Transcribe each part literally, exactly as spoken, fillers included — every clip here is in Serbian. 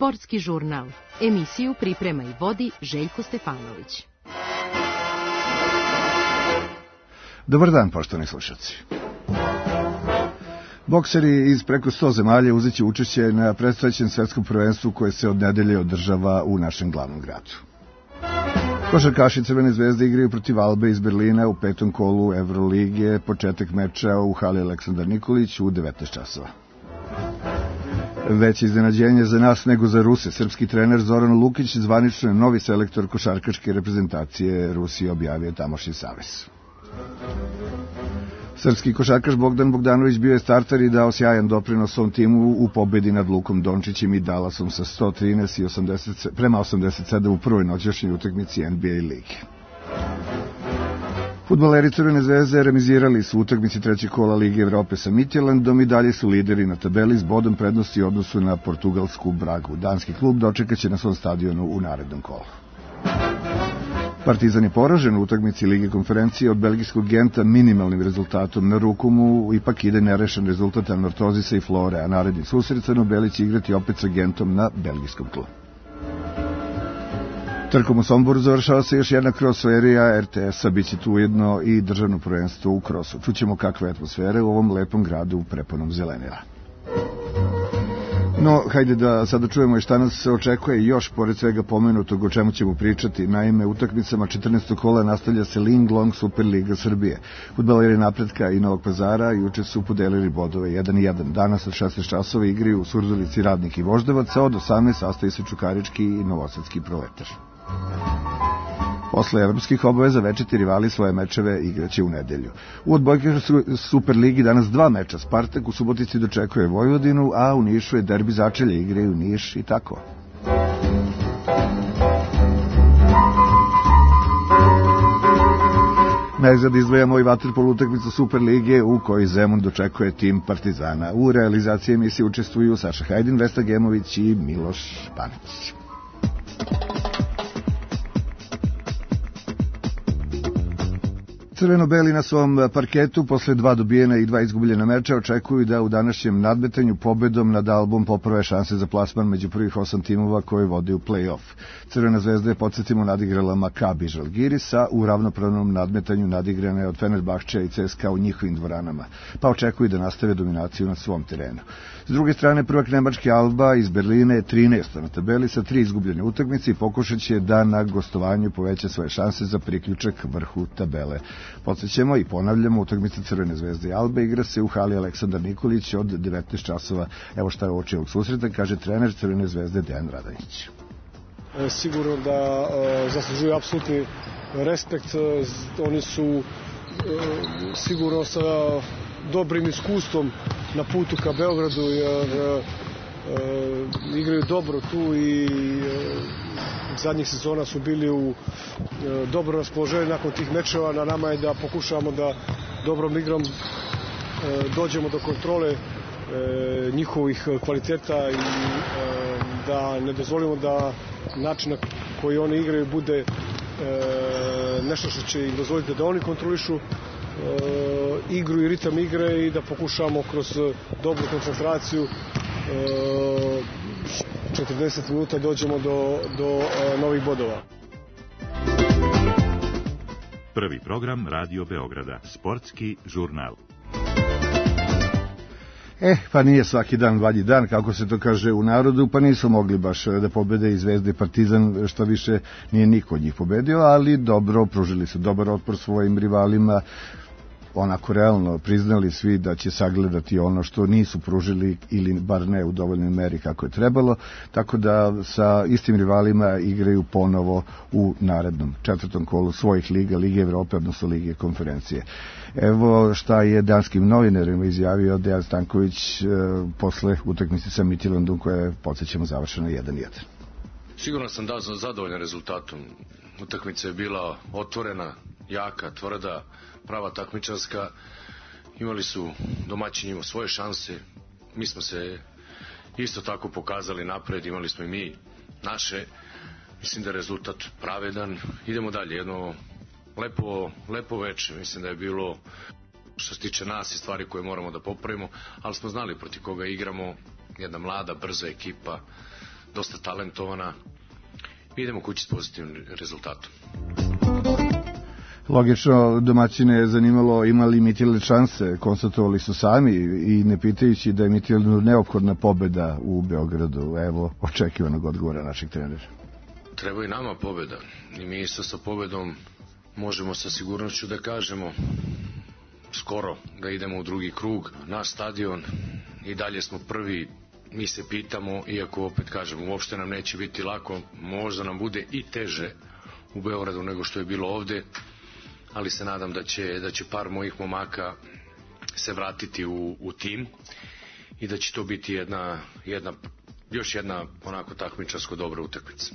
Sportski žurnal. Emisiju priprema i vodi Željko Stefanović. Dobar dan, poštovani slušalci. Bokseri iz preko sto zemalja uzet će učešće na predstojećem svetskom prvenstvu koje se od nedelje održava u našem glavnom gradu. Košarkaši Crvene zvezde igraju protiv Albe iz Berlina u petom kolu Evrolige, početak meča u hali Aleksandar Nikolić u devetnaest časova. Veće iznenađenje za nas nego za Ruse. Srpski trener Zoran Lukić zvanično je novi selektor košarkaške reprezentacije Rusije, objavio tamošnji savez. Srpski košarkaš Bogdan Bogdanović bio je starter i dao sjajan doprinos svom timu u pobedi nad Lukom Dončićem i Dallasom sa sto trinaest i osamdeset prema osamdeset sedam u prvoj noćašnjoj utakmici N B A lige. Fudbaleri Crvene zvezde remizirali su utakmici trećeg kola Lige Evrope sa Midtjyllandom i dalje su lideri na tabeli s bodom prednosti u odnosu na portugalsku Bragu. Danski klub dočekaće na svom stadionu u narednom kolu. Partizan je poražen u utakmici Lige konferencije od belgijskog Genta minimalnim rezultatom. Na ruku mu ipak ide nerešen rezultat Anortozisa i Flore, a naredni susret Crno-beli će igrati opet sa Gentom na belgijskom tlu. Trkom u Somboru završava se još jedna cross serija R T S-a, bit će tu ujedno i državno prvenstvo u krosu. Čućemo kakve atmosfere u ovom lepom gradu prepunom zelenila. No, hajde da sada čujemo i šta nas se očekuje još, pored svega pomenutog o čemu ćemo pričati. Naime, utakmicama četrnaestog kola nastavlja se Linglong Superliga Srbije. Fudbaleri Napretka i Novog Pazara juče su podelili bodove jedan jedan. Danas od šesnaest časova igraju u Surdulici Radnik i Voždovac, a od osamnaest sastavi se Čukarički i Novosadski Proletar. Posle evropskih obaveza večiti rivali svoje mečeve igraće u nedelju. U odbojkaškoj Superligi danas dva meča. Spartak u Subotici dočekuje Vojvodinu, a u Nišu je derbi začelja, igraju Niš i tako. Najzad izdvajamo i vaterpol utakmicu Superlige u kojoj Zemun dočekuje tim Partizana. U realizaciji emisije učestvuju Saša Hajdin, Vesna Gemović i Miloš Panić. Crveno-beli na svom parketu posle dva dobijena i dva izgubljena meča očekuju da u današnjem nadmetanju pobedom nad Albom poprave šanse za plasman među prvih osam timova koji vode u play-off. Crvena zvezda je, podsjetimo, nadigrala Makabi Žalgiris, a u ravnopravnom nadmetanju nadigrana je od Fenerbahčeja i C S K A u njihovim dvoranama, pa očekuju da nastave dominaciju na svom terenu. S druge strane, prvak nemački Alba iz Berlina je trinaesta na tabeli sa tri izgubljene utakmice i pokušat će da na gostovanju poveća svoje šanse za priključak vrhu tabele. Podsjećamo i ponavljamo, utakmica Crvene zvezde i Albe igra se u hali Aleksandar Nikolić od devetnaest časova. Evo šta je uoči ovog susreta, kaže trener Crvene zvezde Dejan Radonjić. Sigurno da uh, zaslužuju apsolutni respekt. Oni su uh, sigurno sa dobrim iskustvom na putu ka Beogradu, jer uh, uh, igraju dobro tu i uh, zadnjih sezona su bili u uh, dobro raspoloženju nakon tih mečeva. Na nama je da pokušavamo da dobrom igrom uh, dođemo do kontrole uh, njihovih kvaliteta i uh, da ne dozvolimo da način na koji oni igraju bude e, nešto što će im dozvoliti da oni kontrolišu e, igru i ritam igre i da pokušamo kroz dobru koncentraciju e, četrdeset minuta dođemo do, do e, novih bodova. Prvi program Radio Beograda, Sportski žurnal. Eh, pa nije svaki dan valji dan, kako se to kaže u narodu, pa nisu mogli baš da pobede i Zvezda i Partizan, što više nije niko od njih pobedio, ali dobro, pružili su dobar otpor svojim rivalima, onako realno priznali svi da će sagledati ono što nisu pružili ili bar ne u dovoljnoj meri kako je trebalo, tako da sa istim rivalima igraju ponovo u narednom četvrtom kolu svojih liga, Lige Evrope, odnosno Lige konferencije. Evo šta je danskim novinarima izjavio Dejan Stanković e, posle utakmice sa Midtjyllandom koja je, podsjećamo, završena jedan jedan. Sigurno sam da sam zadovoljan rezultatom. Utakmica je bila otvorena, jaka, tvrda, prava takmičarska. Imali su domaćini imali svoje šanse. Mi smo se isto tako pokazali napred, imali smo i mi naše. Mislim da je rezultat pravedan. Idemo dalje, jedno lepo, lepo veče. Mislim da je bilo, što se tiče nas, i stvari koje moramo da popravimo, ali smo znali protiv koga igramo. Jedna mlada, brza ekipa. dosta talentovana. Idemo kući s pozitivnim rezultatom. Logično, domaćine je zanimalo ima li Mitilj šanse, konstatovali su sami i ne pitajući da je Mitilju neophodna pobeda u Beogradu. Evo očekivanog odgovora našeg trenera. Treba i nama pobeda i mi isto sa pobedom možemo sa sigurnošću da kažemo skoro da idemo u drugi krug. Naš stadion i dalje smo prvi, mi se pitamo, iako opet kažemo uopšte nam neće biti lako, možda nam bude i teže u Beogradu nego što je bilo ovde, ali se nadam da će, da će par mojih momaka se vratiti u, u tim i da će to biti jedna, jedna, još jedna onako takmičarsko dobra utakmica.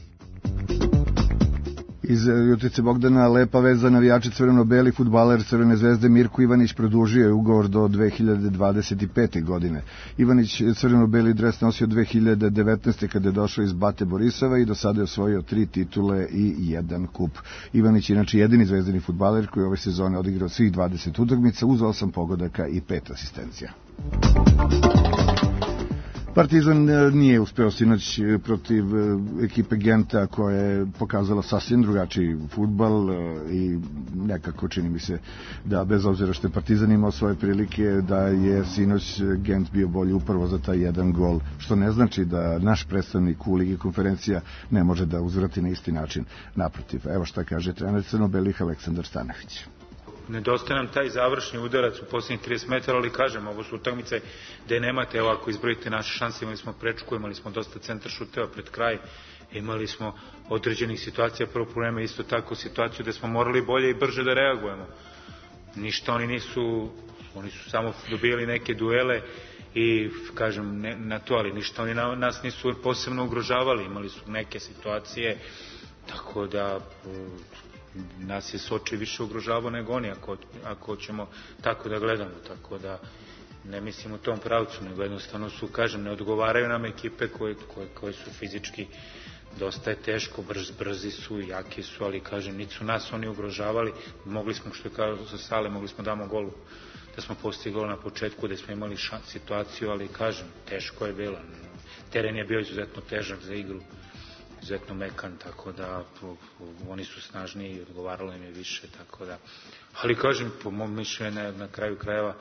Iz Jutice Bogdana lepa vez za navijače crveno-beli. Fudbaler Crvene zvezde Mirko Ivanić produžio je ugovor do dve hiljade dvadeset pete. godine. Ivanić crveno-beli dres nosio dve hiljade devetnaeste. kada je došao iz Bate Borisova i do sada je osvojio tri titule i jedan kup. Ivanić je inače jedini zvezdani fudbaler koji ove sezone odigrao svih dvadeset utakmica uz osam pogodaka i pet asistencija. Partizan nije uspeo sinoć protiv ekipe Genta koja je pokazala sasvim drugačiji fudbal i nekako čini mi se da bez obzira što je Partizan imao svoje prilike da je sinoć Gent bio bolji upravo za taj jedan gol, što ne znači da naš predstavnik u Ligi konferencija ne može da uzvrati na isti način. Naprotiv, evo šta kaže trener crno-belih Aleksandar Stanović. Nedostaje nam taj završni udarac u posljednjih trideset metara, ali kažem, ovo su utakmice gde nemate, evo ako izbrojite naše šanse, imali smo prečku, imali smo dosta centar šuteva pred kraj, imali smo određenih situacija, prvo problema isto tako situaciju gde smo morali bolje i brže da reagujemo. Ništa oni nisu, oni su samo dobijali neke duele i kažem ne, na to, ali ništa oni na, nas nisu posebno ugrožavali, imali su neke situacije, tako da nas je Soči više ugrožavao nego oni, ako, ako ćemo tako da gledamo, tako da ne mislim u tom pravcu, nego jednostavno su, kažem, ne odgovaraju nam ekipe koje, koje, koje su fizički dosta je teško, brz, brzi su, jaki su, ali kažem, niti su nas oni ugrožavali, mogli smo, što je kao sa Sale, mogli smo damo golu, da smo postigli gol na početku, da smo imali šan, situaciju, ali kažem, teško je bilo, teren je bio izuzetno težak za igru, izuzetno mekan, tako da oni su snažniji i odgovaralo im je više, tako da, ali kažem, po mom mišljenju na, na kraju krajeva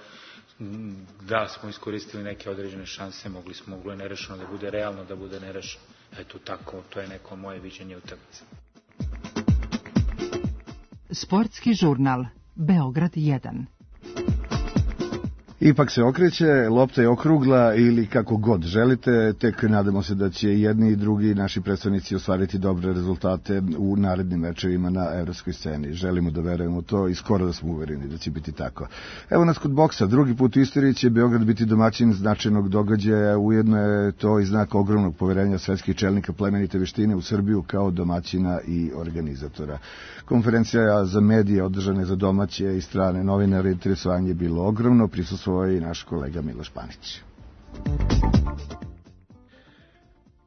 da smo iskoristili neke određene šanse, mogli smo, moglo je nerešeno da bude realno, da bude nerešeno, eto tako, to je neko moje viđenje utakmice. Sportski žurnal Beograd jedan. Ipak se okreće, lopta je okrugla ili kako god želite, tek nadamo se da će jedni i drugi naši predstavnici ostvariti dobre rezultate u narednim mečevima na evropskoj sceni. Želimo da verujemo u to i skoro da smo uvereni da će biti tako. Evo nas kod boksa, drugi put u istoriji će Beograd biti domaćin značajnog događaja, ujedno je to i znak ogromnog poverenja svetskih čelnika plemenite veštine u Srbiju kao domaćina i organizatora. Konferencija za medije održane za domaće i strane novinare, interesovanje je bilo ogromno, prisustvovao je i naš kolega Miloš Panić.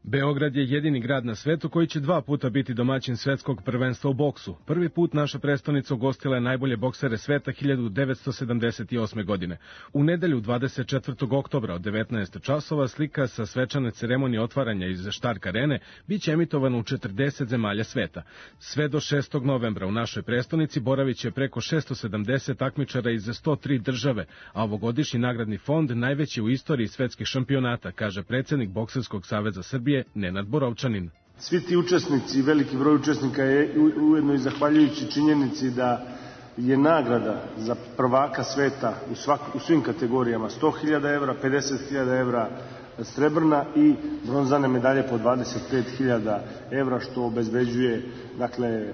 Beograd je jedini grad na svetu koji će dva puta biti domaćin svetskog prvenstva u boksu. Prvi put naša prestonica ugostila je najbolje boksere sveta hiljadu devetsto sedamdeset osme. godine. U nedelju dvadeset četvrtog oktobra od devetnaest časova slika sa svečane ceremonije otvaranja iz Štark arene biće emitovana u četrdeset zemalja sveta. Sve do šestog novembra u našoj prestonici boraviće preko šesto sedamdeset takmičara iz sto tri države, a ovogodišnji nagradni fond najveći u istoriji svetskih šampionata, kaže predsednik Bokserskog saveza Srbije Nenad Borovčanin. Svi ti učesnici, veliki broj učesnika je ujedno i zahvaljujući činjenici da je nagrada za prvaka sveta u, svak, u svim kategorijama sto hiljada evra, pedeset hiljada evra srebrna i bronzane medalje po dvadeset pet hiljada evra, što obezbeđuje dakle, e,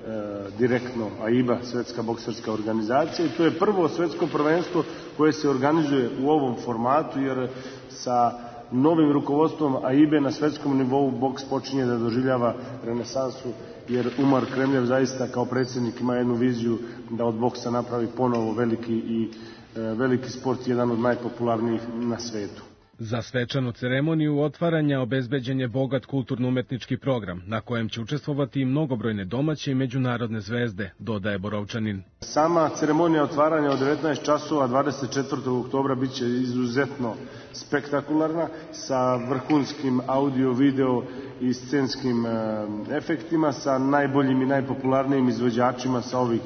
direktno A I B A, Svetska bokserska organizacija. I to je prvo svetsko prvenstvo koje se organizuje u ovom formatu, jer sa novim rukovodstvom A I B A na svetskom nivou boks počinje da doživljava renesansu, jer Umar Kremljev zaista kao predsjednik ima jednu viziju da od boksa napravi ponovo veliki i e, veliki sport, jedan od najpopularnijih na svetu. Za svečanu ceremoniju otvaranja obezbeđen je bogat kulturno-umetnički program, na kojem će učestvovati i mnogobrojne domaće i međunarodne zvezde, dodaje Borovčanin. Sama ceremonija otvaranja od devetnaest časova dvadeset četvrtog oktobra biće izuzetno spektakularna, sa vrhunskim audio, video i scenskim efektima, sa najboljim i najpopularnijim izvođačima sa ovih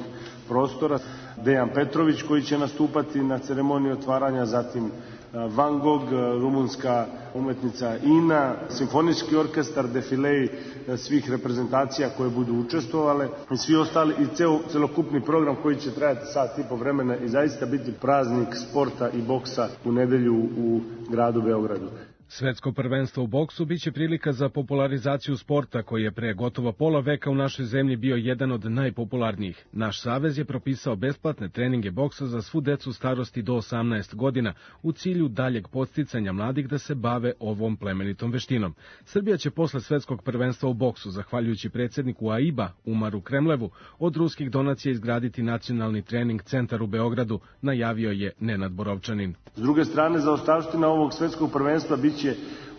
prostora. Dejan Petrović koji će nastupati na ceremoniji otvaranja, zatim Van Gogh, rumunska umetnica Ina, simfonijski orkestar, defilej svih reprezentacija koje budu učestvovale i svi ostali i ceo, celokupni program koji će trajati sat i po vremena i zaista biti praznik sporta i boksa u nedelju u gradu Beogradu. Svetsko prvenstvo u boksu biće prilika za popularizaciju sporta koji je pre gotovo pola veka u našoj zemlji bio jedan od najpopularnijih. Naš savez je propisao besplatne treninge boksa za svu decu starosti do osamnaest godina u cilju daljeg podsticanja mladih da se bave ovom plemenitom veštinom. Srbija će posle svetskog prvenstva u boksu, zahvaljujući predsjedniku A I B A Umaru Kremlevu, od ruskih donacija izgraditi nacionalni trening centar u Beogradu, najavio je Nenad Borovčanin. S druge strane, zaostavština ovog svetskog prvenstva biće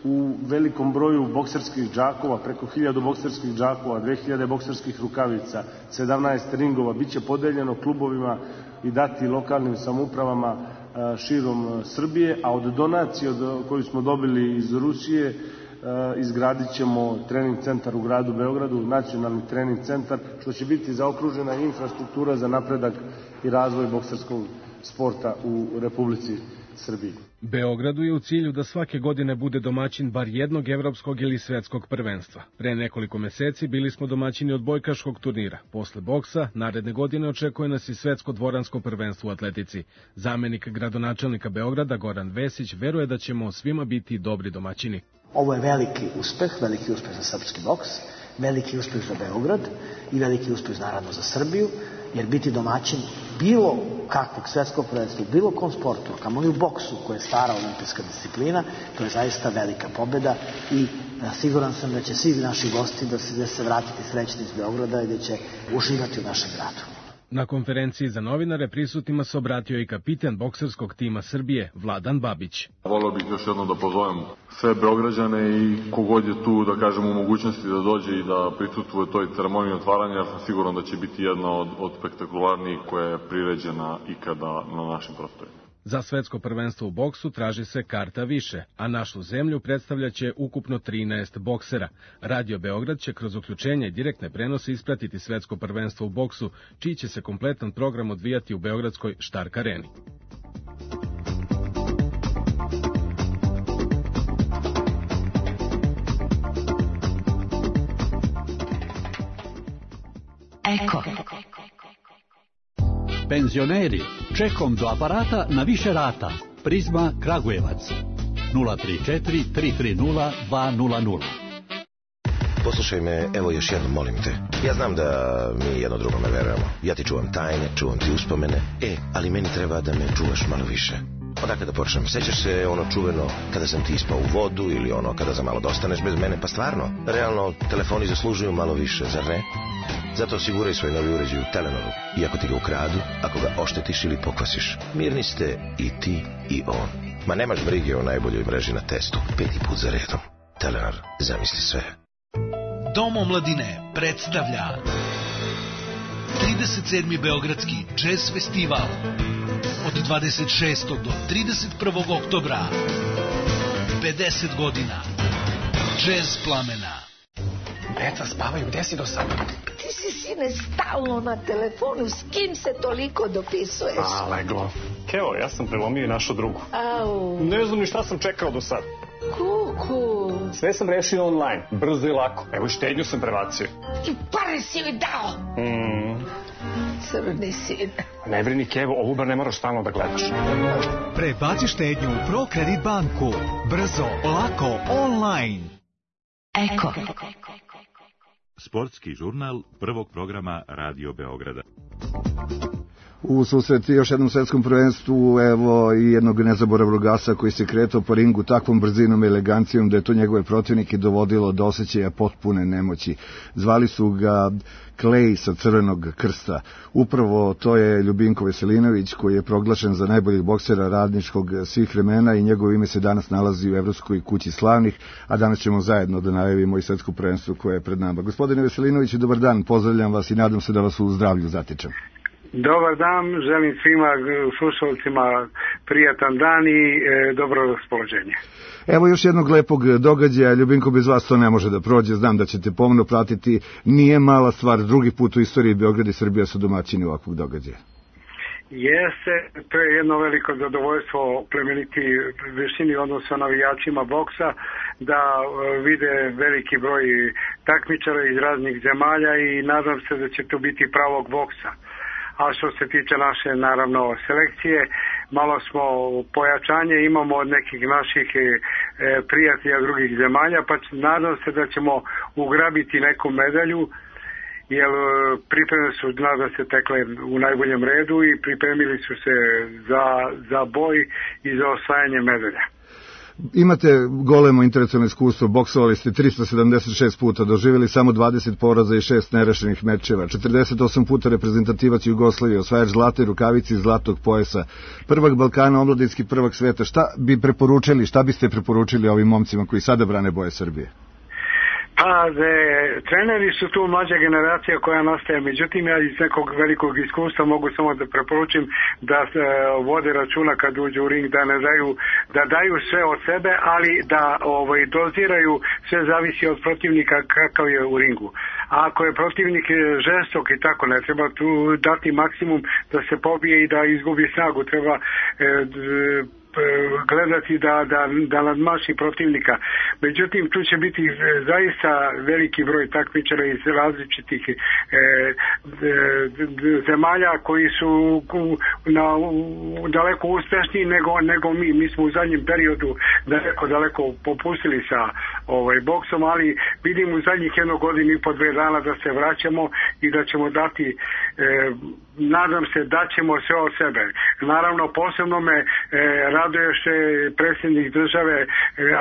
u velikom broju bokserskih džakova, preko hiljadu bokserskih džakova, dve hiljade bokserskih rukavica, sedamnaest ringova, biće podeljeno klubovima i dati lokalnim samoupravama širom Srbije, a od donacije koju smo dobili iz Rusije izgradit ćemo trening centar u gradu Beogradu, nacionalni trening centar, što će biti zaokružena infrastruktura za napredak i razvoj bokserskog sporta u Republici Srbiji. Beogradu je u cilju da svake godine bude domaćin bar jednog evropskog ili svetskog prvenstva. Pre nekoliko meseci bili smo domaćini odbojkaškog turnira. Posle boksa, naredne godine očekuje nas i svetsko dvoransko prvenstvo u atletici. Zamenik gradonačelnika Beograda Goran Vesić veruje da ćemo svima biti dobri domaćini. Ovo je veliki uspeh, veliki uspeh za srpski boks, veliki uspeh za Beograd i veliki uspeh naravno za Srbiju, jer biti domaćin bilo kakvog svetskog prvenstva, bilo kom sportu, kamo i u boksu, koja je stara olimpijska disciplina, to je zaista velika pobeda i siguran sam da će svi naši gosti da se, da se vratiti srećni iz Beograda i da će uživati u našem gradu. Na konferenciji za novinare prisutnima se obratio i kapitan bokserskog tima Srbije, Vladan Babić. Voleo bih još jednom da pozovem sve Beograđane i kogod je tu, da kažem, u mogućnosti da dođe i da prisustvuje toj ceremoniji otvaranja, jer sam siguran da će biti jedna od, od spektakularnijih koja je priređena ikada na našim prostorima. Za svetsko prvenstvo u boksu traži se karta više, a našu zemlju predstavljaće ukupno trinaest boksera. Radio Beograd će kroz uključenje i direktne prenose ispratiti svetsko prvenstvo u boksu, čiji će se kompletan program odvijati u beogradskoj Štark areni. Eko. Penzioneri, čekom do aparata na više rata. Prizma Kragujevac. nula tri četiri tri tri nula dva nula nula. Poslušaj me, evo još jednom, molim te. Ja znam da mi jedno drugome verujemo. Ja ti čuvam tajne, čuvam ti uspomene. E, ali meni treba da me čuvaš malo više. Odakle da počnem? Sećaš se ono čuveno kada sam ti ispao u vodu ili ono kada za malo dostaneš bez mene? Pa stvarno, realno, telefoni zaslužuju malo više, zar ne? Zato osiguraj svoj novi uređaj u Telenoru. I ako ti ga ukradu, ako ga oštetiš ili pokvasiš, mirni ste i ti i on. Ma nemaš brige o najboljoj mreži na testu. Peti put za redom. Telenor, zamisli sve. Dom omladine predstavlja trideset sedmi Beogradski džez festival od dvadeset šestog do trideset prvog oktobra. pedeset godina džez plamena. Deca spavaju, gde si do sada? Ti si, sine, stalno na telefonu, s kim se toliko dopisuješ? A, leglo. Keo, ja sam prelomio i našu drugu. Au. Ne znam ni šta sam čekao do sada. Kuku. Sve sam rešio online, brzo i lako. Evo, štednju sam prebacio. I pare si mi dao. Mm. Crni sine. Ne brini, Kevo, ovu bar ne moraš stalno da gledaš. Prebaci štednju u ProKredit banku. Brzo, lako, online. Eko. Sportski žurnal prvog programa Radio Beograda. u susreti još jednom svetskom prvenstvu, evo i jednog nezaboravnog asa koji se kretao po ringu takvom brzinom i elegancijom da je to njegove protivnike dovodilo do osjećaja potpune nemoći. Zvali su ga Clay sa Crvenog krsta. Upravo to je Ljubinko Veselinović koji je proglašen za najboljeg boksera radničkog svih vremena i njegovo ime se danas nalazi u Evropskoj kući slavnih, a danas ćemo zajedno da najavimo i svetsko prvenstvo koje je pred nama. Gospodine Veselinoviću, dobar dan, pozdravljam vas i nadam se da vas u zdravlju zatičem. Dobar dan, želim svima slušalcima prijatan dan i e, dobro raspoloženje. Evo još jednog lepog događaja, Ljubinko, bez vas to ne može da prođe, znam da ćete pomno pratiti, nije mala stvar, drugi put u istoriji Beograd i Srbija su domaćini ovakvog događaja. Jeste, to je jedno veliko zadovoljstvo plemeniti višini odnosa navijačima boksa, da vide veliki broj takmičara iz raznih zemalja i nadam se da će to biti pravog boksa. A što se tiče naše, naravno, selekcije, malo smo pojačanje imamo od nekih naših e, prijatelja drugih zemalja, pa nadam se da ćemo ugrabiti neku medalju, jer pripreme su, nadam se, tekle u najboljem redu i pripremili su se za, za boj i za osvajanje medalja. Imate golemo intelektualno iskustvo, boksovali ste trista sedamdeset šest puta, doživjeli samo dvadeset poraza i šest nerešenih mečeva, četrdeset osam puta reprezentativac Jugoslavije, osvajač zlate rukavice i zlatog pojasa, prvak Balkana, omladinski prvak sveta. Šta bi preporučili, šta biste preporučili ovim momcima koji sada brane boje Srbije? Pa, de, treneri su tu mlađa generacija koja nastaje, međutim ja iz nekog velikog iskustva mogu samo da preporučim da e, vode računa kad uđu u ring, da ne daju, da daju sve od sebe, ali da ovaj, doziraju, sve zavisi od protivnika kakav je u ringu. A ako je protivnik žestok i tako, ne treba tu dati maksimum da se pobije i da izgubi snagu, treba e, d, gledati da, da, da nadmaši protivnika. Međutim, tu će biti zaista veliki broj takmičara iz različitih e, e, zemalja koji su na, daleko uspešniji nego, nego mi. Mi smo u zadnjem periodu daleko, daleko popustili sa ovaj, boksom, ali vidim u zadnjih jednog godinu i po dve dana da se vraćamo i da ćemo dati e, nadam se da ćemo sve od sebe. Naravno, posebno me e, raduje što je predsjednik države e,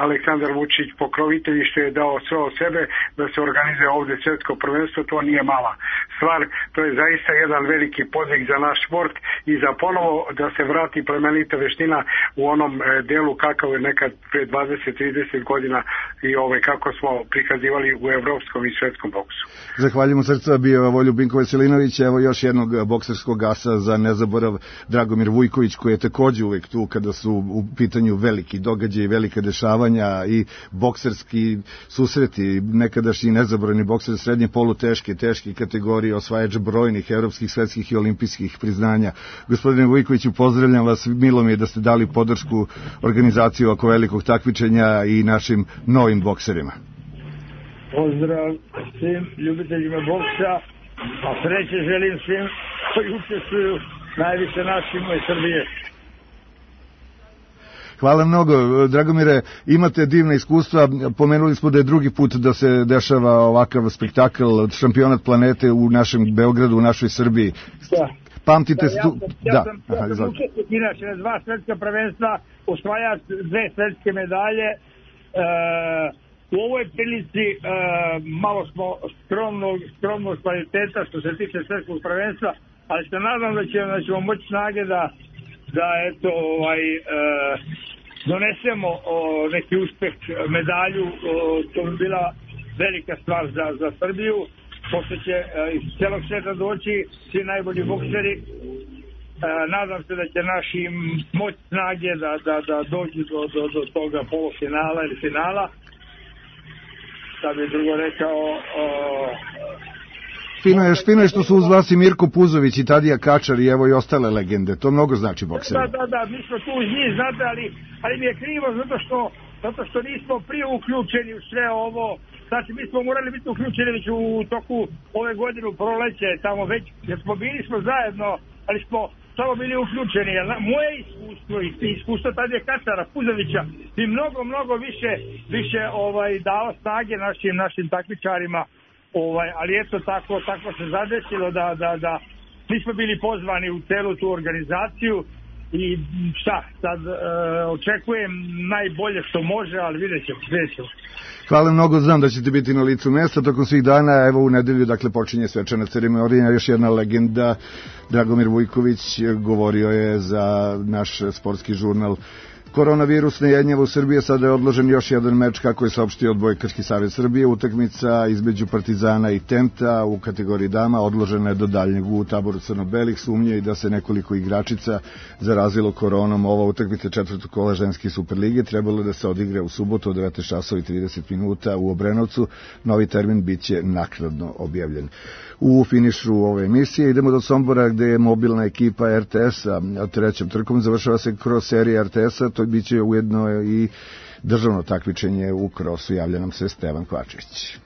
Aleksandar Vučić pokrovitelj što je dao sve od sebe da se organizuje ovdje svjetsko prvenstvo, to nije mala stvar, to je zaista jedan veliki podvig za naš sport i za ponovo da se vrati plemenita veština u onom e, delu kakav je nekad pre dvadeset trideset godina i ovaj, kako smo prikazivali u evropskom i svjetskom boksu. Zahvaljujem srca, bio je Ljubinko Veselinović, evo još jednog bokserskog asa za nezaborav, Dragomir Vujković, koji je također uvijek tu kada su u pitanju veliki događaji, velika dešavanja i bokserski susreti, nekadašnji nezaboravni bokser srednje poluteške, teške kategorije, osvajač brojnih evropskih, svetskih i olimpijskih priznanja. Gospodine Vujkoviću, pozdravljam vas, milo mi je da ste dali podršku organizaciju ovako velikog takmičenja i našim novim bokserima. Pozdrav svim ljubiteljima boksa, a sreće želim svim koji učestvuju najviše našima iz Srbije. Hvala mnogo, Dragomire, imate divna iskustva, pomenuli smo da je drugi put da se dešava ovakav spektakl, šampionat planete u našem Beogradu, u našoj Srbiji. Da. Pamtite da, se ja tu... sam, ja da. sam, ja sam učesnik inače na dva svetska prvenstva, osvajač dve svetske medalje. E, u ovoj prilici e, malo smo skromnog, skromnog kvaliteta što se tiče svetskog prvenstva, ali se nadam da ćemo, da ćemo moći snage da, da eto, ovaj, e, donesemo o, neki uspeh, medalju, o, to bi bila velika stvar za, za Srbiju, pošto će e, iz celog sveta doći svi najbolji bokseri. E, nadam se da će naši moć snage da, da, da dođu do, do, do toga polufinala ili finala. Da bi drugo rekao... O, Fino je, fino je što su uz vas i Mirko Puzović i Tadija Kačar i evo i ostale legende. To mnogo znači bokserima. Da, da, da, mi smo tu uz njih, znate, ali, ali mi je krivo zato što, zato što nismo prije uključeni u sve ovo. Znači, mi smo morali biti uključeni već u toku ove godine u proleće, tamo već, jer smo bili smo zajedno, ali smo samo bili uključeni. Moje iskustvo i iskustvo Tadija Kačara, Puzovića bi mnogo, mnogo više, više ovaj, dao snage našim, našim takmičarima. Ovaj, ali eto tako, tako se zadesilo da, da, da svi smo bili pozvani u celu tu organizaciju i šta, sad e, očekujem najbolje što može, ali vidjet ćemo, vidjet ćemo. Hvala mnogo, znam da ćete biti na licu mesta tokom svih dana. Evo u nedelju, dakle, počinje svečana ceremonija. Još jedna legenda, Dragomir Vujković, govorio je za naš sportski žurnal. Koronavirus ne jednjava u Srbiji, sada je odložen još jedan meč, kako je saopštio Odbojkaški savez Srbije. Utakmica između Partizana i Tenta u kategoriji dama odložena je do daljnjeg. U taboru crno-belih sumnje i da se nekoliko igračica zarazilo koronom. Ova utakmica četvrtog kola ženske Superlige trebalo da se odigra u subotu od devetnaest časova i trideset minuta u Obrenovcu. Novi termin biće naknadno objavljen. U finišu ove emisije idemo do Sombora, gde je mobilna ekipa er te es-a trećom trkom. Završava se kroz serije er te es-a, to biće ujedno i državno takmičenje u krosu. Javlja nam se Stevan Kvačić.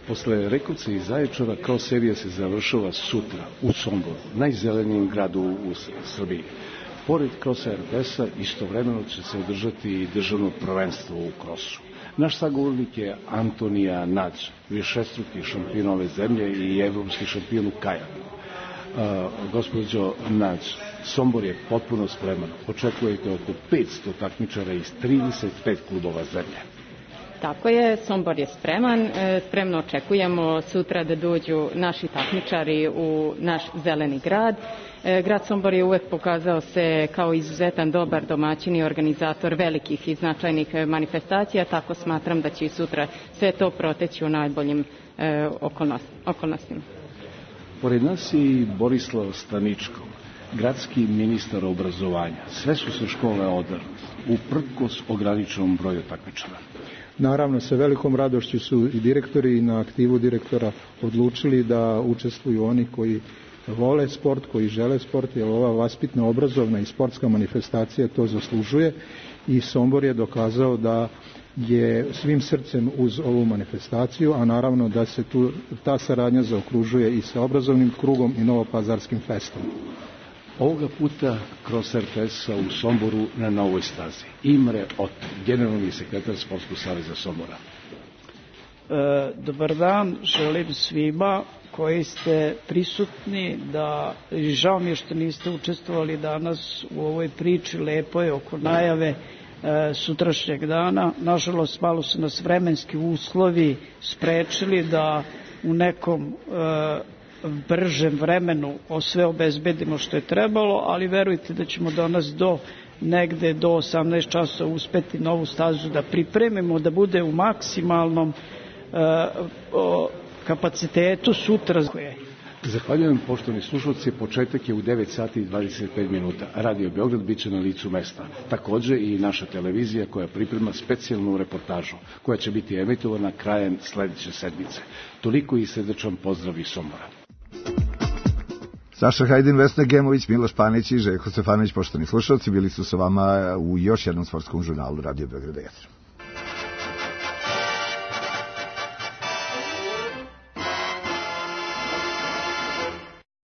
Posle Rekovca i Zaječara, kros serija se završava sutra u Somboru, najzelenijem gradu u Srbiji. Pored krosa er te es-a istovremeno će se održati i državno prvenstvo u krosu. Naš sagovornik je Antonija Nadž, višestruki šampion ove zemlje i evropski šampion u kajaku. Uh, gospođo Nadž, Sombor je potpuno spreman. Očekujete oko petsto takmičara iz trideset pet klubova zemlje. Tako je, Sombor je spreman. Spremno očekujemo sutra da dođu naši takmičari u naš zeleni grad. Grad Sombor je uvek pokazao se kao izuzetan dobar domaćin i organizator velikih i značajnih manifestacija, tako smatram da će i sutra sve to proteći u najboljim okolnostima. Pored nas je i Borislav Staničko, gradski ministar obrazovanja. Sve su se škole održale, uprkos ograničenom broju takmičara. Naravno, sa velikom radošću su i direktori i na aktivu direktora odlučili da učestvuju oni koji vole sport, koji žele sport, jer ova vaspitna, obrazovna i sportska manifestacija to zaslužuje i Sombor je dokazao da je svim srcem uz ovu manifestaciju, a naravno da se tu ta saradnja zaokružuje i sa obrazovnim krugom i Novopazarskim festom. Ovoga puta kroz er te es-a u Somboru na novoj stazi. Imre Ot, generalni sekretar Sportskog saveza Sombora. E, dobar dan, želim svima koji ste prisutni, da žao mi je što niste učestvovali danas u ovoj priči lepoj oko najave e, sutrašnjeg dana. Nažalost, malo su nas vremenski uslovi sprečili da u nekom e, bržem vremenu sve obezbedimo što je trebalo, ali verujte da ćemo danas do negde do osamnaest časova uspeti novu stazu da pripremimo, da bude u maksimalnom uh, o, kapacitetu sutra. Zahvaljujem, poštovani slušalci, početak je u devet sati i dvadeset pet minuta. Radio Beograd biće na licu mesta. Takođe i naša televizija koja priprema specijalnu reportažu koja će biti emitovana krajem sledeće sedmice. Toliko i srdečan pozdrav iz Sombora. Saša Hajdin, Vesna Gemović, Miloš Panić i Željko Stefanović, poštovani slušalci, bili su sa vama u još jednom sportskom žurnalu Radio Beograd.